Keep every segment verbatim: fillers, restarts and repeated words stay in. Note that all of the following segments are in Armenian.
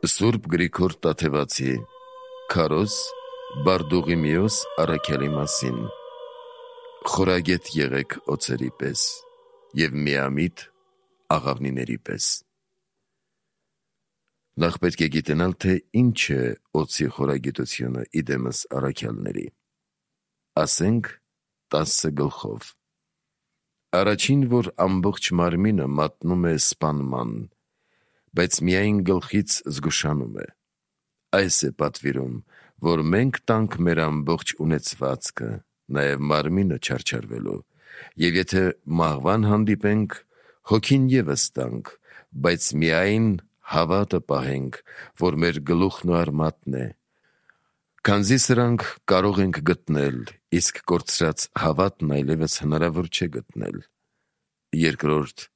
Սուրբ Գրիգոր Տաթևացի Քարոզ Բարդուղիմեոս առաքյալի մասին. Խորագետ եղեք օձերի պես և միամիտ աղավնիների պես։ Նախ պետք է գիտենալ, թե ինչ է օձի խորագիտությունը իդեմս առաքյալների։ Ասենք տասը գլխով։ Առաջին, որ ամբողջ մարմինը մատնում է սպանման, բայց միայն գլխից զգուշանում է։ Այս է պատվիրում, որ մենք տանք մեր ամբողջ ունեցվածքը, նաև մարմինը չարչարվելու, և եթե մահվան հանդիպենք, հոգին ևս տանք, բայց միայն հավատը պահենք, որ մեր գլուխն ու արմատն է, քանզի սրանք կարող ենք գտնել, իսկ կորցրած հավատն այլևս հնարավոր չէ գտնել։ Երկրորդ,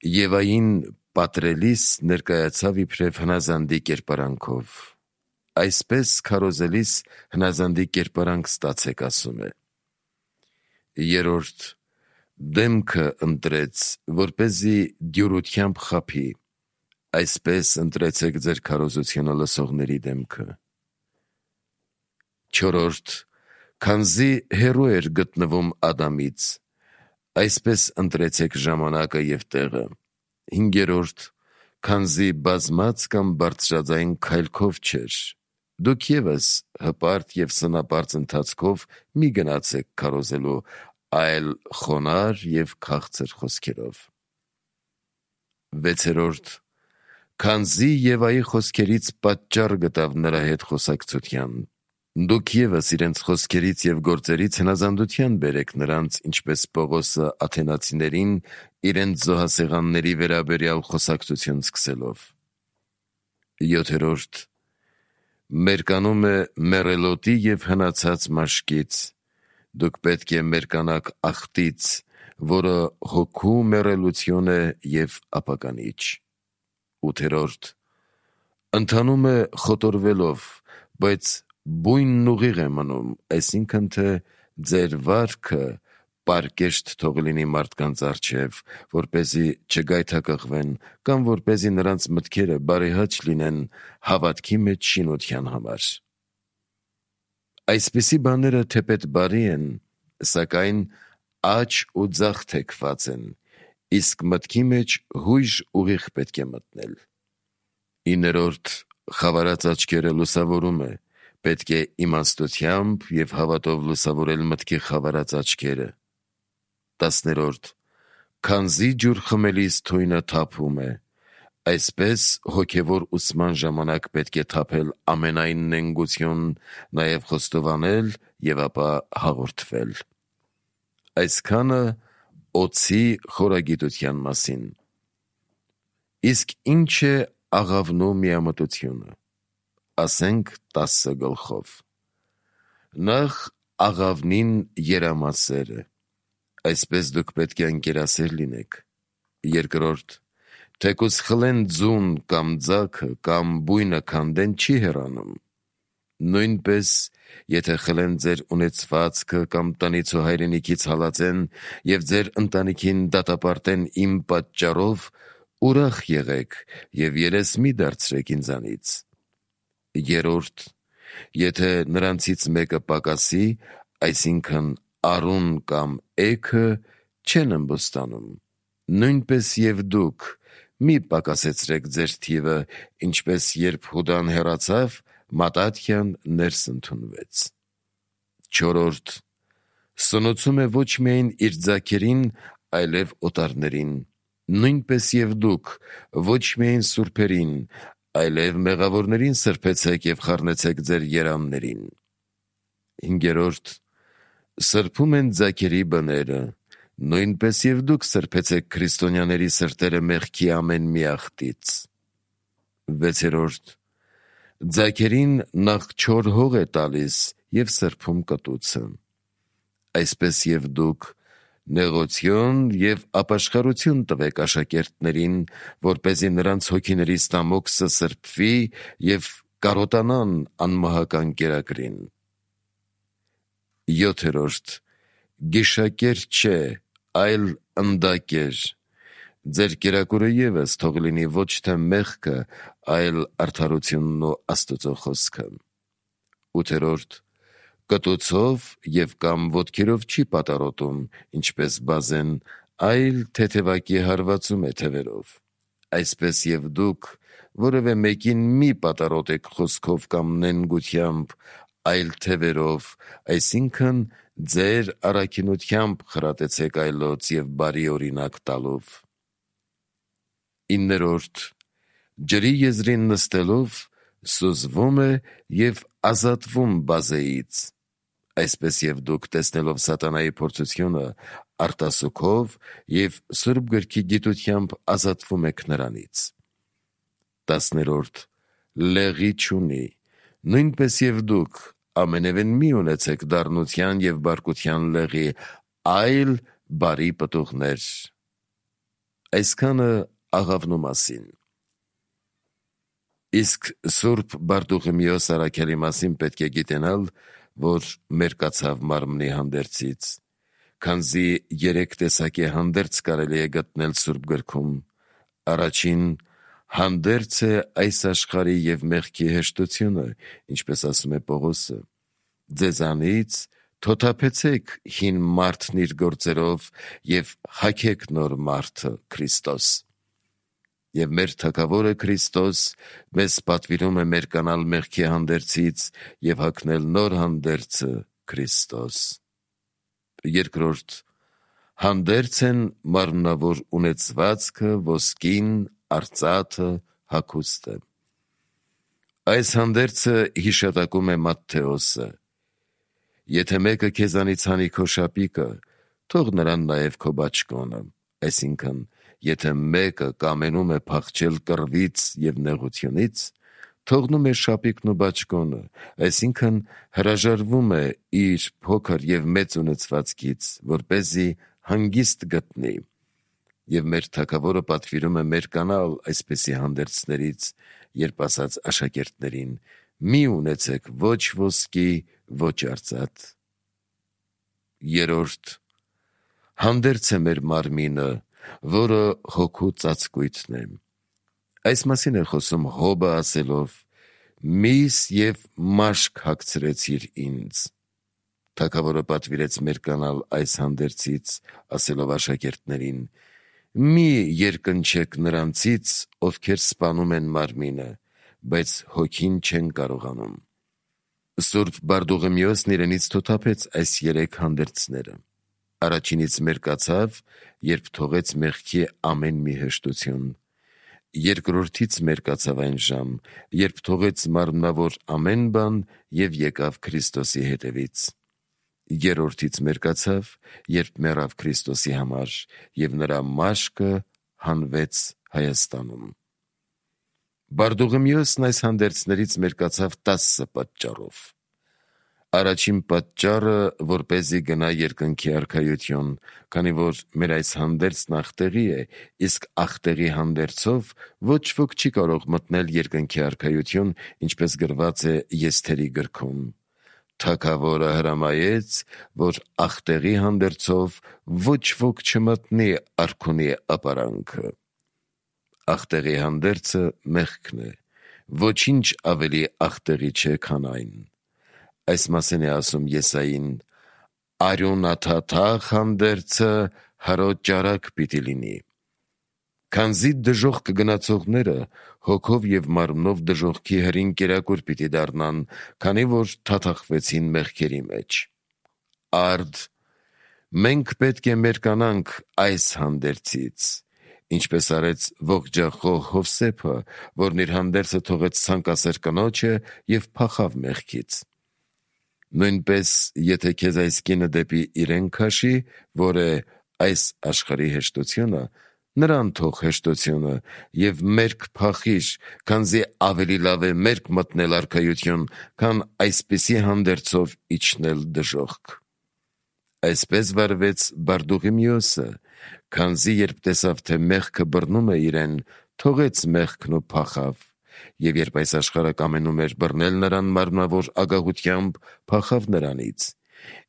Եվային պատրելիս ներկայացավ իբրև հնազանդի կերպարանքով, այսպես քարոզելիս հնազանդի կերպարանք ստացեք, ասում է։ Երրորդ, դեմքը ընտրեց, որպեսզի դյուրությամբ խաբի, այսպես ընտրեցեք ձեր քարոզությունը լսողների դեմքը։ Չորրորդ, քանզի հեռու էր գտնվում Ադամից, այսպես ընտրեցեք ժամանակը և տեղը։ Հինգերորդ, քանզի բազմած կամ բարձրաձայն քայլքով չէր, դուք ևս հպարտ և սնապարծ ընթացքով մի գնացեք քարոզելու, այլ խոնարհ և քաղցր խոսքերով։ Վեցերորդ, քանզի Եվայի խոսքերից պատճառ գտավ նրա հետ խոսակցության, դուք ևս իրենց խոսքերից և գործերից հնազանդության բերեք նրանց, ինչպես Պողոսը աթենացիներին իրենց զոհասեղանների վերաբերյալ խոսակցություն սկսելով։ Յոթերորդ, մերկանում է մեռելոտի և հնացած մաշկից, դուք պետք է մերկանաք աղտից, որը հոգու մեռելություն է և ապականիչ։ Ութերորդ, ընթանում է խոտորվելով, բայց բույնն ուղիղ է մնում, այսինքն թե ձեր վարքը պարկեշտ թող լինի մարդկանց առջև, որպեսզի չգայթակղվեն կամ որպեսզի նրանց մտքերը բարեհաճ լինեն հավատքի մեջ շինության համար։ Այսպիսի բաները թեպետ բարի են, սակայն աջ ու ձախ թեքված են, իսկ մտքի մեջ հույժ ուղիղ պետք է մտնել։ Իներորդ, խավարած աչքերը լուսավորում է, պետք է իմաստությամբ և հավատով լուսավորել մտքի խավարած աչքերը։ Տասներորդ, քանզի ջուր խմելիս թույնը թափում է, այսպես հոգևոր ուսման ժամանակ պետք է թափել ամենայն նենգություն, նաև խոստովանել և ապա հաղորդվել։ Այսքանը օձի խորագիտության մասին։ Իսկ ինչ է աղավնու միամտությունը։ Ասենք տասը գլխով։ Նախ աղավնին երամասեր է, այսպես դուք պետք է ընկերասեր լինեք։ Երկրորդ, թեկուզ խլեն ձուն կամ ձագը կամ բույնը քանդեն, չի հեռանում։ Նույնպես, եթե խլեն ձեր ունեցվածքը կամ տնից ու հայրենիքից հալածեն և ձեր ընտանիքին դատապարտեն իմ պատճառով, ուրախ եղեք և երես մի դարձրեք ինձանից։ Երրորդ, եթե նրանցից մեկը պակասի, այսինքն արուն կամ էգը, չեն ըմբոստանում, նույնպես և դուք մի պակասեցրեք ձեր թիվը, ինչպես երբ Հուդան հեռացավ, Մատաթյան ներս ընդունվեց։ Չորրորդ, սնուցում է ոչ միայն իր ձագերին, այլև օտարներին, նույնպես և դուք ոչ միայն սուրբերին, այլև մեղավորներին սրբեցեք և խառնեցեք ձեր երամներին։ Հինգերորդ, սրբում են ձագերի բները, նույնպես և դուք սրբեցեք քրիստոնյաների սրտերը մեղքի ամեն մի աղտից։ Վեցերորդ, ձագերին նախ չոր հող է տալիս և սրբում կտուցը, այսպես և դուք նեղություն և ապաշխարություն տվեք աշակերտներին, որպեսզի նրանց հոգիների ստամոքսը սրբվի և կարոտանան անմահական կերակրին։ Յոթերորդ, գիշակեր չէ, այլ ընդակեր, Ձեր կերակուրը ևս թող լինի ոչ թե մեղքը, այլ արդարությունն ու Աստծո խոսքը։ Ութերորդ. Կտուցով և կամ ոտքերով չի պատառոտում, ինչպես բազեն, այլ թեթևակի հարվածում է թևերով։ Այսպես և դուք որևէ մեկին մի պատառոտեք խոսքով կամ նենգությամբ, այլ թևերով, այսինքն ձեր առաքինությամբ խրատեցեք այլոց և բարի օրինակ տալով։ Իններորդ. Ջրի եզրին նստելով սուզվում է և ազատվում բազեից, այսպես և դուք տեսնելով սատանայի փորձությունը արտասուքով և Սուրբ գրքի գիտությամբ ազատվում եք նրանից։ Տասներորդ. Լեղի չունի, նույնպես և դուք ամենևին մի ունեցեք դառնության և բարկության լեղի, այլ բարի պտուղներ։ Այսքանը աղավնու մասին։ Իսկ Սուրբ Բարտուխիմեոս առաքյալի մասին պետք է գիտենալ, որ մերկացավ մարմնի հանդերձից, քանզի երեք տեսակի հանդերձ կարելի է գտնել Սուրբ գրքում։ Առաջին հանդերձ է այս աշխարհի և մեղքի հեշտությունը, ինչպես ասում է Պողոսը. ձեզանից թոթափեցեք հին մարդն իր գործերով և հագեք նոր մարդը՝ Քրիստոս։ Եվ մեր Թագավորը Քրիստոս մեզ պատվիրում է մերկանալ մեղքի հանդերձից և հագնել նոր հանդերձը՝ Քրիստոս։ Երկրորդ. հանդերձ են մարմնավոր ունեցվածքը, ոսկին, արծաթը, հագուստը։ Այս հանդերձը հիշատակում է Մատթեոսը. եթե մեկը քեզանից հանի քո շապիկը, թող նրան նաև քո բաճկոնը, այսինքն, եթե մեկը կամենում է փախչել կռվից և նեղությունից, թողնում է շապիկն ու բաճկոնը, այսինքն հրաժարվում է իր փոքր և մեծ ունեցվածքից, որպեսզի հանգիստ գտնի։ Եվ մեր Թագավորը պատվիրում է մերկանալ այսպիսի հանդերձներից, երբ ասաց աշակերտներին. մի ունեցեք ոչ ոսկի, ոչ արծաթ։ Երրորդ. հանդերձ է մեր մարմինը, որը հոգու ծածկույթն է։ Այս մասին է խոսում Հոբը ասելով. «Միս և մաշկ հագցրեցիր ինձ»։ Թագավորը պատվիրեց մերկանալ այս հանդերձից, ասելով աշակերտներին. մի երկնչեք նրանցից, ովքեր սպանում են մարմինը, բայց հոգին չեն կարողանում։ Սուրբ Բարտուխիմեոսն իրենից թոթափեց այս երեք հանդերձները։ Առաջինից մերկացավ, երբ թողեց մեղքի ամեն մի հեշտություն։ Երկրորդից մերկացավ այն ժամ, երբ թողեց մարմնավոր ամեն բան և եկավ Քրիստոսի հետևից։ Երրորդից մերկացավ, երբ մեռավ Քրիստոսի համար, և նրա մաշկը հանվեց Հայաստանում։ Բարտուխիմեոսն այս հանդերձներից մերկացավ տասը պատճառով։ Առաջին պատճառը, որպեսզի գնա երկնքի արքայություն, քանի որ մեր այս հանդերձն ախտեղի է, իսկ ախտեղի հանդերձով ոչ ոք չի կարող մտնել երկնքի արքայություն, ինչպես գրված է Եսթերի գրքում. Թագավորը հրամայեց, որ ախտեղի հանդերձով ոչ ոք չմտնի արքունի ապարանքը։ Ախտեղի հանդերձը մեղքն է, ոչինչ ավելի ախտեղի չէ, քան այն։ Այս մասին է ասում Եսային. «Արյունաթաթախ հանդերձը հրոտ ճարակ պիտի լինի»։ Քանզի դժոխք գնացողները հոգով և մարմնով դժոխքի հրին կերակուր պիտի դառնան, քանի որ թաթախվեցին մեղքերի մեջ։ Արդ, մենք պետք է մերկանանք այս հանդերձից, ինչպես արեց ողջախոհ Հովսեփը, որն իր հանդերձը թողեց ցանկասեր կնոջը և փախավ մեղքից։ Նույնպես, եթե քեզ այս կինը դեպի իրեն քաշի, որ է այս աշխարհի հեշտությունը, նրան թող հեշտությունը և մերկ փախիր, քանզի ավելի լավ է մերկ մտնել արքայություն, քան այսպիսի հանդերձով իջնել դժոխք։ Այսպես վարվեց Բարտուխիմեոսը, քանզի երբ տեսավ, թե մեղքը բռնում է իրեն, թողեց մեղքն ու փախավ, և երբ այս աշխարհը կամենում էր բռնել նրան մարմնավոր ագահությամբ, փախավ նրանից,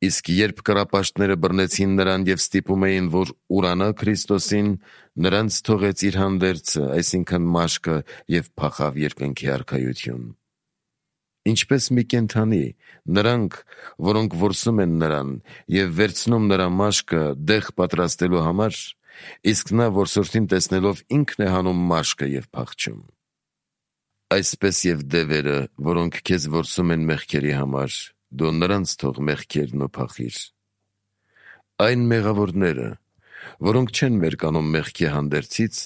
Իսկ երբ կռապաշտները բռնեցին նրան և ստիպում էին, որ ուրանա Քրիստոսին, նրանց թողեց իր հանդերձը, այսինքն մաշկը, և փախավ երկնքի արքայություն։ Ինչպես մի կենդանի, նրանք, որոնք որսում են նրան և վերցնում նրա մաշկը դեղ պատրաստելու համար, իսկ նա որսորդին տեսնելով ինքն է հանում մաշկը և փախչում։ Այսպես և դևերը, որոնք քեզ որսում են մեղքերի համար, դու նրանց թող մեղքերն ու փախիր։ Այն մեղավորները, որոնք չեն մերկանում մեղքի հանդերձից,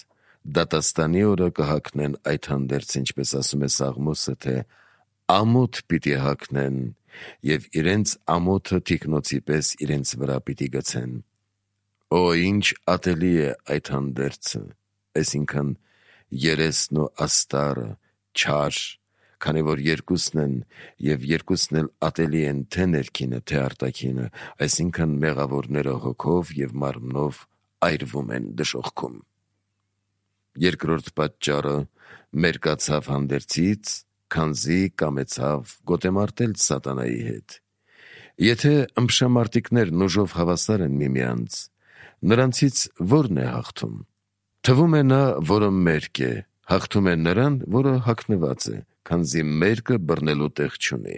դատաստանի օրը կհագնեն այդ հանդերձ, ինչպես ասում է Սաղմոսը, թե ամոթ պիտի հագնեն և իրենց ամոթը թիկնոցի պես իրենց վրա պիտի գցեն։ Օ, ինչ ատելի է այդ հանդերձը, այսինքն երեսն ու աստառը, չար, քանի որ երկուսն են և երկուսն էլ ատելի են թե ներքինը, թե արտաքինը, այսինքն մեղավորները հոգով և մարմնով այրվում են դժոխքում։ Երկրորդ պատճառը մերկացավ հանդերձից, քանզի կամեցավ գոտեմարտել սատանայի հետ։ Եթե ըմբշամարտիկներն ուժով հավասար են միմյանց, նրանցից ո՞րն է հաղթում։ Թվում է նա, որը մերկ է, հաղթում է նրան, որը հագնված է, քանզի մերկը բռնելու տեղ չունի։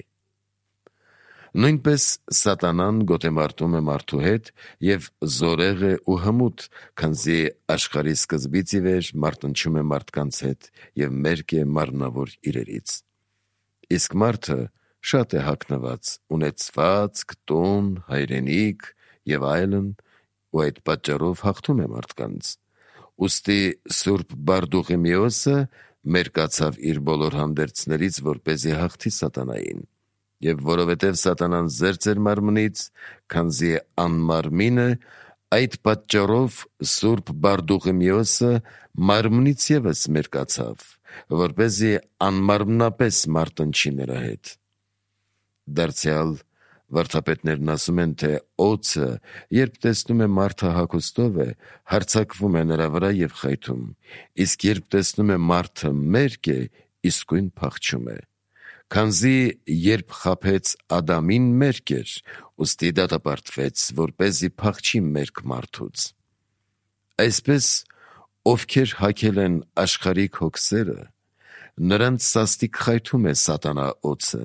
Նույնպես սատանան գոտեմարտում է մարդու հետ և զորեղ է ու հմուտ, քանզի աշխարհի սկզբից ի վեր մարտնչում է մարդկանց հետ և մերկ է մարմնավոր իրերից։ Իսկ մարդը շատ է հագնված, ունեցվածք, տուն, հայրենիք և այլն, ու այդ պատճառով հաղթում է մարդկանց։ Ուստի Սուրբ Բարդուղիմեոսը մերկացավ իր բոլոր հանդերձներից, որպեսզի հաղթի սատանային։ Եվ որովհետև սատանան զերծ էր մարմնից, քանզի անմարմին է, այդ պատճառով Սուրբ Բարդուղիմեոսը մարմնից ևս մերկացավ, որպեսզի անմարմնապես մարտնչի նրա հետ։ Դարձյալ վարդապետներն ասում են, թե օձը, երբ տեսնում է մարդը հագուստով է, հարձակվում է նրա վրա և խայթում, իսկ երբ տեսնում է մարդը մերկ է, իսկույն փախչում է։ Քանզի երբ խաբեց Ադամին, մերկ էր, ուստի դատապարտվեց, որպեսզի փախչի մերկ մարդուց։ Այսպես, ովքեր հագել են աշխարհիկ հոգսերը, նրանց սաստիկ խայթում է սատանա օձը,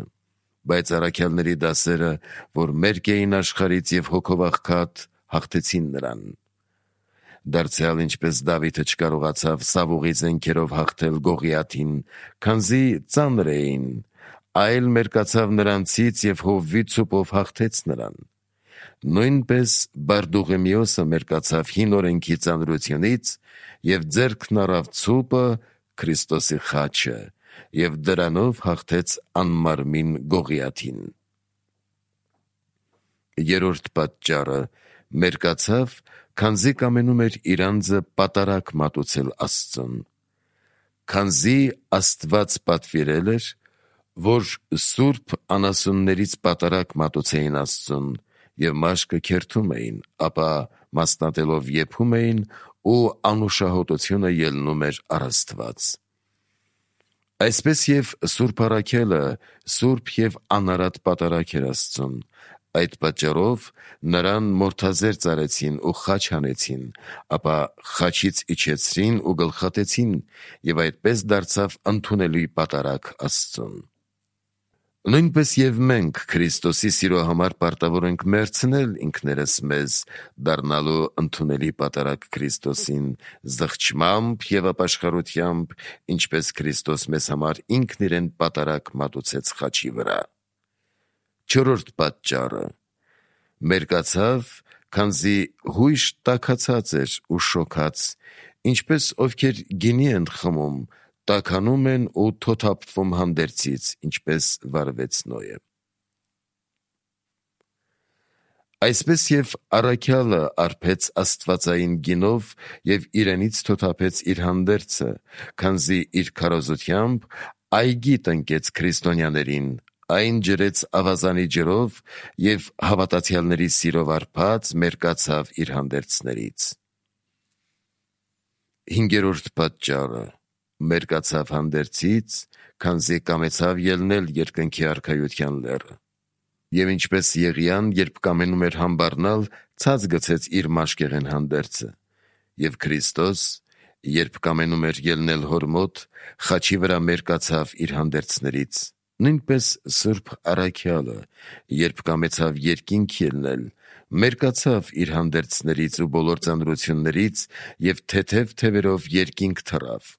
բայց առաքյալների դասերը, որ մերկ էին աշխարհից և հոգով աղքատ, հաղթեցին նրան։ Դարձյալ ինչպես Դավիթը չկարողացավ Սավուղի զենքերով հաղթել Գողիաթին, քանզի ծանր էին, այլ մերկացավ նրանցից և հովվի ցուպով հաղթեց նրան։ Նույնպես Բարդուղիմեոսը մերկացավ հին օրենքի ծանրությունից և ձեռքն առավ ցուպը, Քրիստոսի խաչը, և դրանով հաղթեց անմարմին Գողիաթին։ Երրորդ պատճառը մերկացավ, քանզի կամենում էր իր անձը պատարագ մատուցել Աստծուն։ Քանզի Աստված պատվիրել էր, որ սուրբ անասուններից պատարագ մատուցեին Աստծուն և մաշկը քերթում էին, ապա մասնատելով եփում էին ու անուշահոտությունը ելնում էր առ Աստված։ Այսպես և Սուրբ առաքյալը սուրբ և անարատ պատարագ էր Աստծուն, այդ պատճառով նրան մորթազերծ արեցին ու խաչ հանեցին, ապա խաչից իջեցրին ու գլխատեցին, և այդպես դարձավ ընդունելի պատարագ Աստծուն։ Նույնպես և մենք Քրիստոսի սիրո համար պարտավոր ենք մերցնել ինքներս մեզ, դառնալու ընդունելի պատարագ Քրիստոսին, զղջմամբ և ապաշխարությամբ, ինչպես Քրիստոս մեզ համար ինքն իրեն պատարագ մատուցեց խաչի վրա։ Չորրորդ պատճառը մերկացավ, քանզի հույժ տաքացած էր ու շոքած, ինչպես ովքեր գինի են խմում, տաքանում են ու թոթափվում հանդերձից, ինչպես վարվեց Նոյը։ Այսպես և առաքյալը արբեց աստվածային գինով և իրենից թոթափեց իր հանդերձը, քանզի իր քարոզությամբ այգի տնկեց քրիստոնյաներին, այն ջրեց ավազանի ջրով և հավատացյալների սիրով արբած մերկացավ իր հանդերձներից։ Հինգերորդ պատճառը մերկացավ հանդերձից, քանզի կամեցավ ելնել երկնքի արքայության լեռը։ Եվ ինչպես Եղիան, երբ կամենում էր համբառնալ, ցած գցեց իր մաշկեղեն հանդերձը, եւ Քրիստոս, երբ կամենում էր ելնել հոր մոտ, խաչի վրա մերկացավ իր հանդերձներից, նույնպես Սուրբ Առաքյալը, երբ կամեցավ երկինք ելնել, մերկացավ իր հանդերձներից ու բոլոր ծանրություններից եւ թեթև թևերով երկինք թռավ։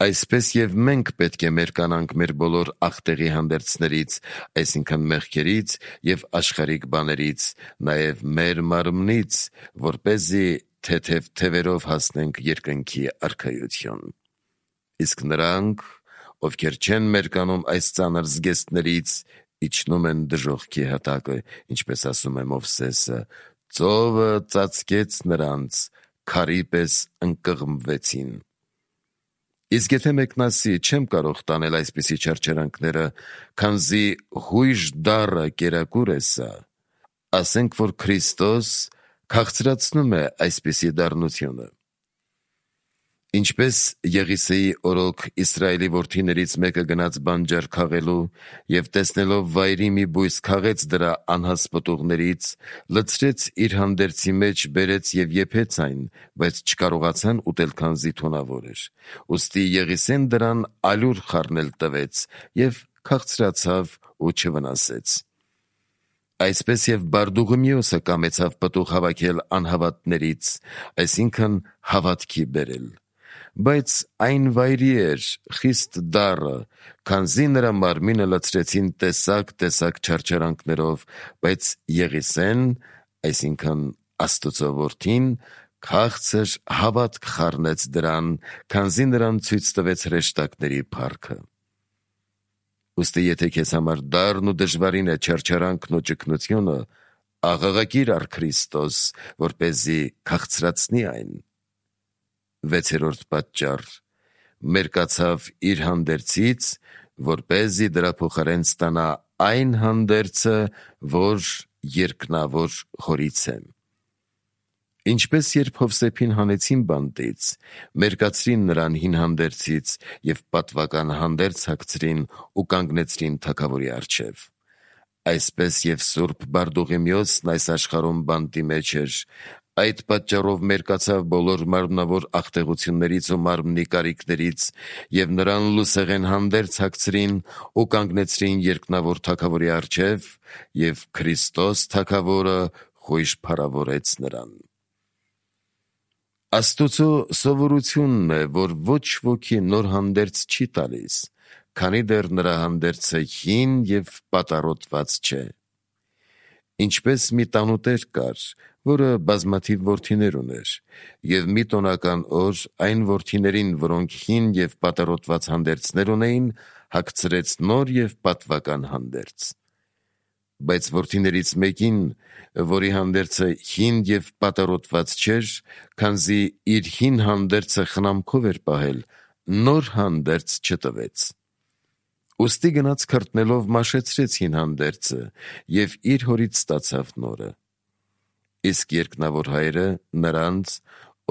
Այսպես եւ մենք պետք է մերկանանք մեր բոլոր ախտեղի հանդերձներից, այսինքն մեղքերից եւ աշխարհիկ բաներից, նաեւ մեր մարմնից, որպեսզի թեթև թևերով հասնենք երկնքի արքայություն։ Իսկ նրանք, ովքեր չեն մերկանում այս ծանր զգեստներից, իջնում են դժոխքի հատակը, ինչպես ասում է Մովսեսը, ծովը ծածկեց նրանց, քարի պես ընկղմվեցին։ Իսկ եթե մեկն ասի, չեմ կարող տանել այսպիսի չարչարանքները, քանզի հույժ դառը կերակուր է սա, ասենք, որ Քրիստոս քաղցրացնում է այսպիսի դառնությունը։ Ինչպես Եղիսեի օրոք Իսրայելի որդիներից մեկը գնաց բանջար քաղելու եւ տեսնելով վայրի մի բույս քաղեց դրա անհաս պտուղներից, լցրեց իր հանդերձի մեջ, բերեց եւ եփեց այն, բայց չկարողացան ուտել, քանզի թունավոր էր։ Ուստի Եղիսեն դրան ալյուր խառնել տվեց եւ քաղցրացավ ու չվնասեց։ Այսպես եւ Բարդուղիմեոսը կամեցավ պտուղ հավաքել անհավատներից, այսինքն հավատքի բերել, բայց այն վայրի էր խիստ դառը, քանզի նրա մարմինը լցրեցին տեսակ-տեսակ չարչարանքներով, բայց Եղիսեն, այսինքն Աստծո որդին, քաղցր հավատք խառնեց դրան, քանզի նրան ցույց տվեց հրեշտակների փառքը։ Ուստի եթե քեզ համար դառն ու դժվարին է չարչարանքն ու ճգնությունը, աղաղակիր առ Քրիստոս, որպեսզի քաղցրացնի այն։ Վեցերորդ պատճառ. մերկացավ իր հանդերձից, որպեսզի դրա փոխարեն ստանա այն հանդերձը, որ երկնավոր հորից է։ Ինչպես երբ Հովսեփին հանեցին բանտից, մերկացրին նրան հին հանդերձից եւ պատվական հանդերձ հագցրին ու կանգնեցրին թագավորի առջև։ Այսպես եւ Սուրբ Բարդուղիմեոսն այս աշխարհում բանտի մեջ էր, այդ պատճառով մերկացավ բոլոր մարմնավոր ախտեղություններից ու մարմնի կարիքներից եւ նրան լուսեղեն հանդերձ հագցրին ու կանգնեցրին երկնավոր թագավորի առջև եւ Քրիստոս թագավորը խույժ փառավորեց նրան։ Աստուծո սովորությունն է, որ ոչ ոքի նոր հանդերձ չի տալիս, քանի դեռ նրա հանդերձը հին եւ պատառոտված չէ։ Ինչպես մի տանուտեր կար, որը բազմաթիվ որդիներ ուներ, եւ մի տոնական օր այն որդիներին, որոնք հին եւ պատառոտված հանդերձներ ունեին, հագցրեց նոր եւ պատվական հանդերձ։ Բայց որդիներից մեկին, որի հանդերձը հին եւ պատառոտված չէր, քանզի իր հին հանդերձը խնամքով էր պահել, նոր հանդերձ չտվեց։ Ուստի գնաց քրտնելով մաշեցրեց հին հանդերձը եւ իր հորից ստացավ նորը։ Իսկ երկնավոր հայրը նրանց,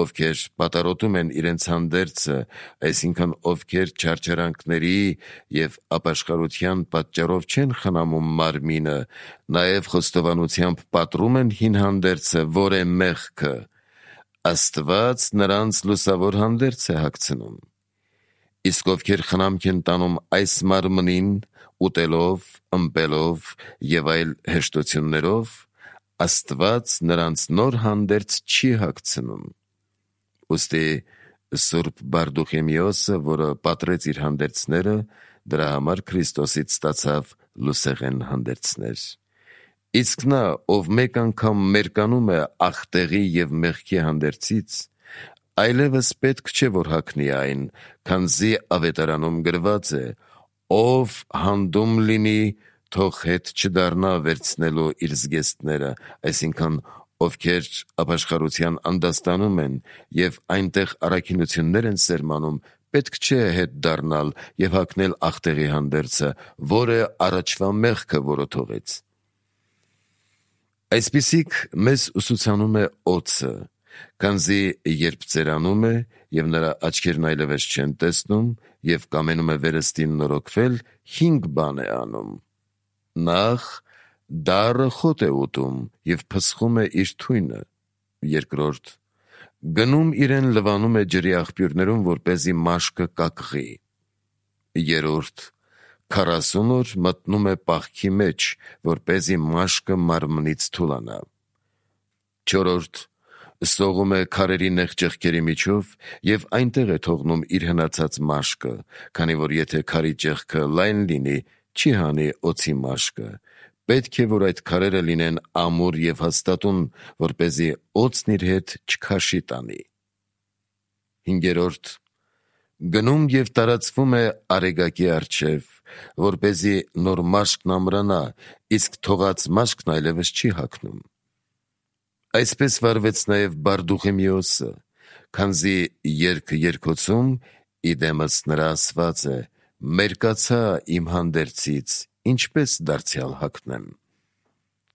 ովքեր պատառոտում են իրենց հանդերձը, այսինքն ովքեր չարչարանքների եւ ապաշխարության պատճառով չեն խնամում մարմինը, նաեւ խոստովանությամբ պատռում են հին հանդերձը, որ է մեղքը, Աստված նրանց լուսավոր հանդերձ է հագցնում։ Իսկ ովքեր խնամք են տանում այս մարմնին, ուտելով, ըմպելով եւ այլ հեշտություններով, Աստված նրանց նոր հանդերձ չի հագցնում։ Ուստի Սուրբ Բարդուղիմեոսը, որը պատրեց իր հանդերձները, դրա համար Քրիստոսից ստացավ լուսեղեն հանդերձներ։ Իսկ նա, ով մեկ անգամ մերկանում է ախտեղի եւ մեղքի հանդերձից, այլևս պետք չէ, որ հագնի այն, քանզի ավետարանում գրված է. ով հանդում լինի, թող հետ չդառնա վերցնելու իր զգեստները, այսինքն ովքեր ապաշխարության անդաստանում են եւ այնտեղ առաքինություններ են սերմանում, պետք չէ հետ դառնալ եւ հագնել ախտեղի հանդերձը, որը առաջվա մեղքը որոթողեց։ Այսպիսիք մեզ ուսուցանում է օձը, քանզի երբ ծերանում է եւ նրա աչքերն այլևս չեն տեսնում եւ կամենում է վերստին նորոգվել, հինգ բան է անում. նախ դառը խոտ է ուտում և փսխում է իր թույնը։ Երկրորդ, գնում իրեն լվանում է ջրի աղբյուրներում, որպեսզի մաշկը կակղի։ Երրորդ, քառասուն օր մտնում է պահքի մեջ, որպեսզի մաշկը մարմնից թուլանա։ Չորրորդ, սողում է քարերի նեղ ճեղքերի միջով և այնտեղ է թողնում իր հնացած մաշկը, քանի որ եթե քարի ճեղքը լայն լինի, չի հանի օձի մաշկը, պետք է, որ այդ քարերը լինեն ամուր և հաստատուն, որպեսզի օձն իր հետ չքաշի տանի։ Հինգերորդ, գնում և տարածվում է արեգակի առջև, որպեսզի նոր մաշկն ամրանա, իսկ թողած մաշկն այլևս չի հագնում։ Այսպես վարվեց նաև Բարդուղիմեոսը, քանզի երգը երգոցում իդեմս նրա ասված է. «Մերկացա իմ հանդերձից, ինչպես դարձյալ հագնեմ»։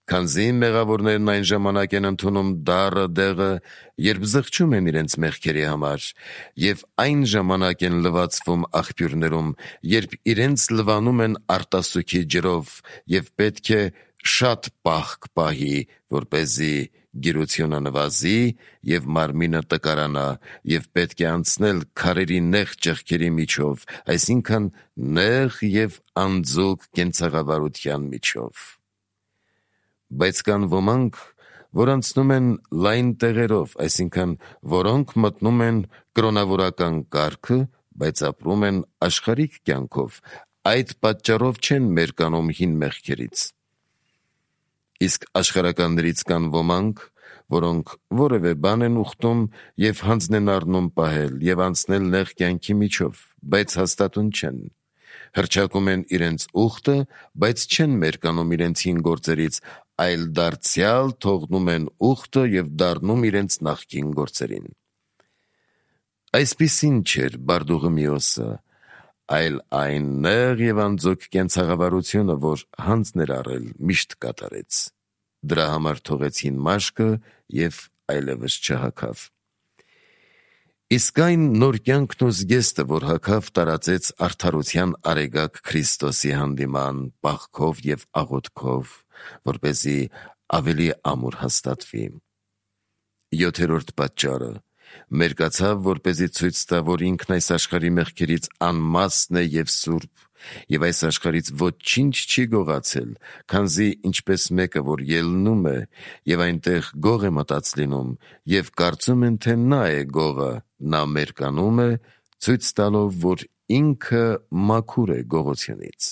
Քանզի մեղավորներն այն ժամանակ են ընդունում դառը դեղը, երբ զղջում են իրենց մեղքերի համար, և այն ժամանակ են լվացվում աղբյուրներում, երբ իրենց լվանում են արտասուքի ջրով, և պետք է շատ պահք պահի, որպեսզի գիրությունը նվազի և մարմինը տկարանա, և պետք է անցնել քարերի նեղ ճեղքերի միջով, այսինքն նեղ և անձոկ կենցաղավարության միջով։ Բայց կան ոմանք, որ անցնում են լայն տեղերով, այսինքն որոնք մտնում են կրոնավորական կարգը, բայց ապրում են աշխարհիկ կյանքով, այդ պատճառով չեն մերկանում հին մեղքերից։ Իսկ աշխարհականներից կան ոմանք, որոնք որևէ բան են ուխտում և հանձն են առնում պահել և անցնել նեղ կյանքի միջով, բայց հաստատուն չեն, հռչակում են իրենց ուխտը, բայց չեն մերկանում իրենց հին գործերից, այլ դարձյալ թողնում են ուխտը և դառնում իրենց նախկին գործերին։ Այսպիսին չէր Բարդուղիմեոսը, այլ այն նեղ և անձոկ կենցաղավարությունը, որ հանձն էր առել, միշտ կատարեց։ Դրա համար թողեց հին մաշկը և այլևս չհագավ։ Իսկ այն նոր կյանքն ու զգեստը, որ հագավ, տարածեց արդարության արեգակ Քրիստոսի հանդիման պահքով և աղոթքով, որպեսզի ավելի ամուր հաստատվի։ Յոթերորդ պատճառը մերկացավ, որպեսզի ցույց տա, որ ինքն այս աշխարհի մեղքերից անմասն է և սուրբ, և այս աշխարհից ոչինչ չի գողացել, քանզի ինչպես մեկը, որ ելնում է, և այնտեղ գող է մտած լինում, և կարծում են, թե նա է գողը, նա մերկանում է, ցույց տալով, որ ինքը մաքուր է գողությունից։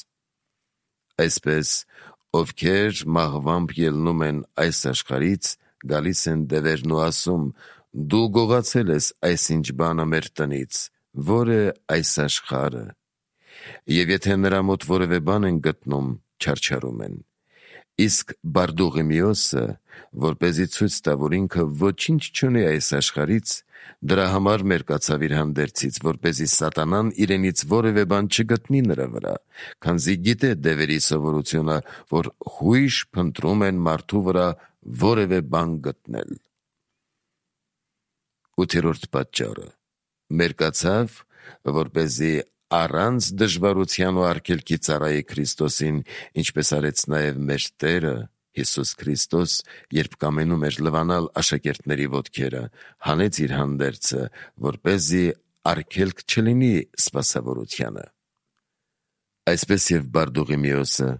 Այսպես, ովքեր մահվամբ ելնում են այս աշխարհից, գալիս են դևերն ու ասում. «Դու գողացել ես այսինչ բանը մեր տնից, որ է այս աշխարհը»։ Եվ եթե նրա մոտ որևէ բան են գտնում, չարչարում են։ Իսկ Բարդուղիմեոսը, որպեսզի ցույց տա, որ ինքը ոչինչ չունի այս աշխարհից, դրա համար մերկացավ իր հանդերձից, որպեսզի սատանան իրենից որևէ բան չգտնի նրա վրա, քանզի գիտե դևերի սովորությունը, որ հույժ փնտրում են մարդու վրա որևէ բան գտնել։ Ութերորդ պատճառը մերկացավ, որպեսզի առանց դժվարության ու արգելքի ծառայի Քրիստոսին, ինչպես արեց նաև մեր Տերը Հիսուս Քրիստոս, երբ կամենում էր լվանալ աշակերտների ոտքերը, հանեց իր հանդերձը, որպեսզի արգելք չլինի սպասավորությանը։ Այսպես և Բարդուղիմեոսը,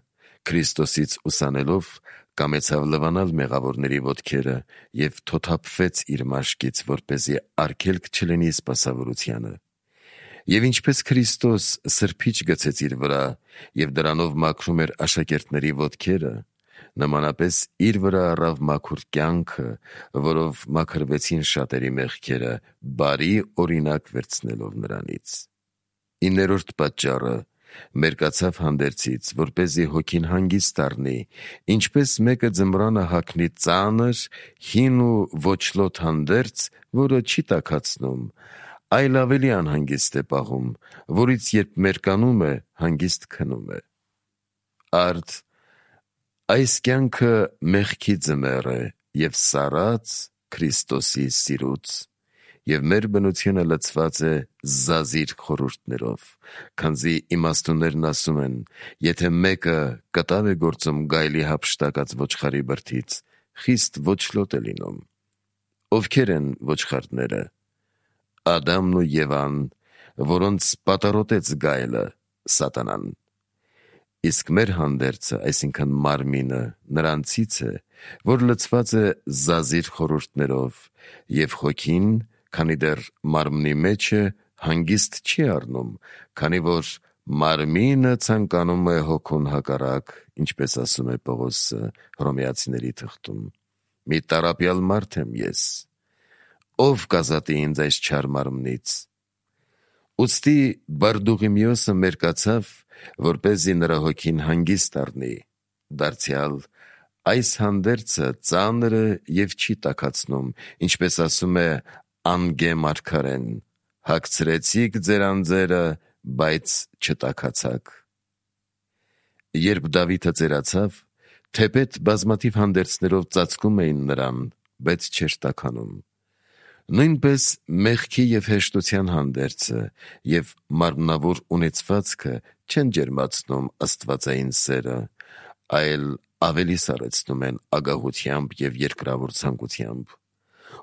Քրիստոսից ուսանելով, կամեցավ լվանալ մեղավորների ոտքերը և թոթափվեց իր մաշկից, որպեսզի արգելք չլինի սպասավորությանը։ Եվ ինչպես Քրիստոս սրբիչ գցեց իր վրա և դրանով մաքրում էր աշակերտների ոտքերը, նմանապես իր վրա առավ մաքուր կյանքը, որով մաքրվեցին շատերի մեղքերը, բարի օրինակ վերցնելով նրանից։ Իններորդ պատճառը մերկացավ հանդերձից, որպեսզի հոգին հանգիստ առնի, ինչպես մեկը ձմռանը հագնի ծանր, հին ու ոչլոտ հանդերձ, որը չի տաքացնում, այլ ավելի անհանգիստ է պահում, որից երբ մերկանում է, հանգիստ քնում է։ Արդ այս կյանքը մեղքի ձմեռ է և սառած Քրիստոսի սիրուց, և մեր բնությունը լցված է զազիր խորհուրդներով, քանզի իմաստուններն ասում են, եթե մեկը կտավ է գործում գայլի հափշտակած ոչխարի բրդից, խիստ ոչլոտ է լինում։ Ովքեր են ոչխարները? Ադամն ու Եվան, որոնց պատառոտեց գայլը, սատանան։ Իսկ մեր հանդերձը, այսինքն մարմինը, նրանցից է, որ լցված է զազիր խորհուրդներով, և հոգին, քանի դեռ մարմնի մեջ է, հանգիստ չի առնում, քանի որ մարմինը ցանկանում է հոգուն հակառակ, ինչպես ասում է Պողոսը Հռոմեացիների թղթում. «Մի տառապյալ մարդ եմ ես, ով կազատի ինձ այս չար մարմնից»։ Ուստի Բարդուղիմեոսը մերկացավ, որպեսզի նրա հոգին հանգիստ առնի, դարձյալ այս հանդերձը ծանր է և չի տաքացնում, ինչպես ասում է Անգե մարգարեն. «Հագցրեցիք ձեր անձերը, բայց չտաքացաք»։ Երբ Դավիթը ծերացավ, թեպետ բազմաթիվ հանդերձներով ծածկում էին նրան, բայց չէր տաքանում։ Նույնպես մեղքի և հեշտության հանդերձը և մարմնավոր ունեցվածքը չեն ջերմացնում աստվածային սերը, այլ ավելի սառեցնում են ագահությամբ և երկրավոր ցանկությամբ։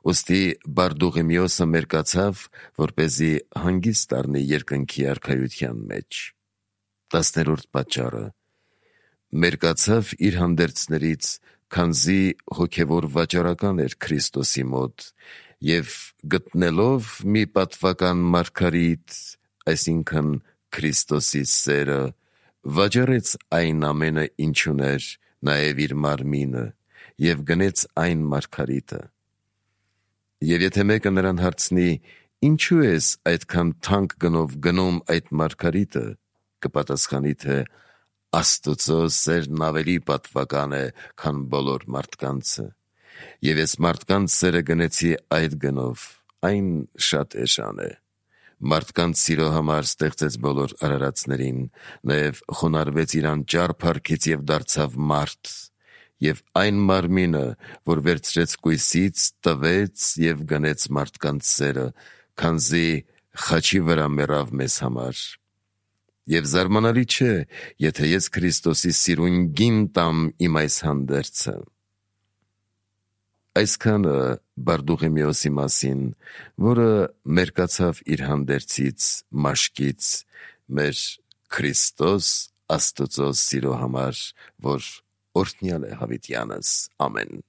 Ուստի Բարդուղիմեոսը մերկացավ, որպեսզի հանգիստ առնի երկնքի արքայության մեջ։ Տասներորդ պատճառը. մերկացավ իր հանդերձներից, քանզի հոգևոր վաճառական էր Քրիստոսի մոտ, և գտնելով մի պատվական մարգարիտ, այսինքն Քրիստոսի սերը, վաճառեց այն ամենը, ինչ ուներ, նաև իր մարմինը, և գնեց այն մարգարիտը։ Եվ եթե մեկը նրան հարցնի. «Ինչու ես այդքան թանկ գնով գնում այդ մարգարիտը», կպատասխանի, թե «Աստծո սերն ավելի պատվական է, քան բոլոր մարդկանցը, և ես մարդկանց սերը գնեցի այդ գնով, այն շատ էժան է։ Մարդկանց սիրո համար ստեղծեց բոլոր արարածներին, նաև խոնարհվեց իր անճար փառքից և դարձավ մարդ, և այն մարմինը, որ վերցրեց կույսից, տվեց և գնեց մարդկանց սերը, քանզի խաչի վրա մեռավ մեզ համար։ Եվ զարմանալի չէ, եթե ես Քրիստոսի սիրունգին տամ իմ այս հանդերձը»։ Այսքանը Բարդուղիմեոսի մասին, որը մերկացավ իր հանդերձից, մաշկից, մեր Քրիստոս Աստծո սիրո համար, որ օրհնյալ է հավիտյանս։ Ամեն։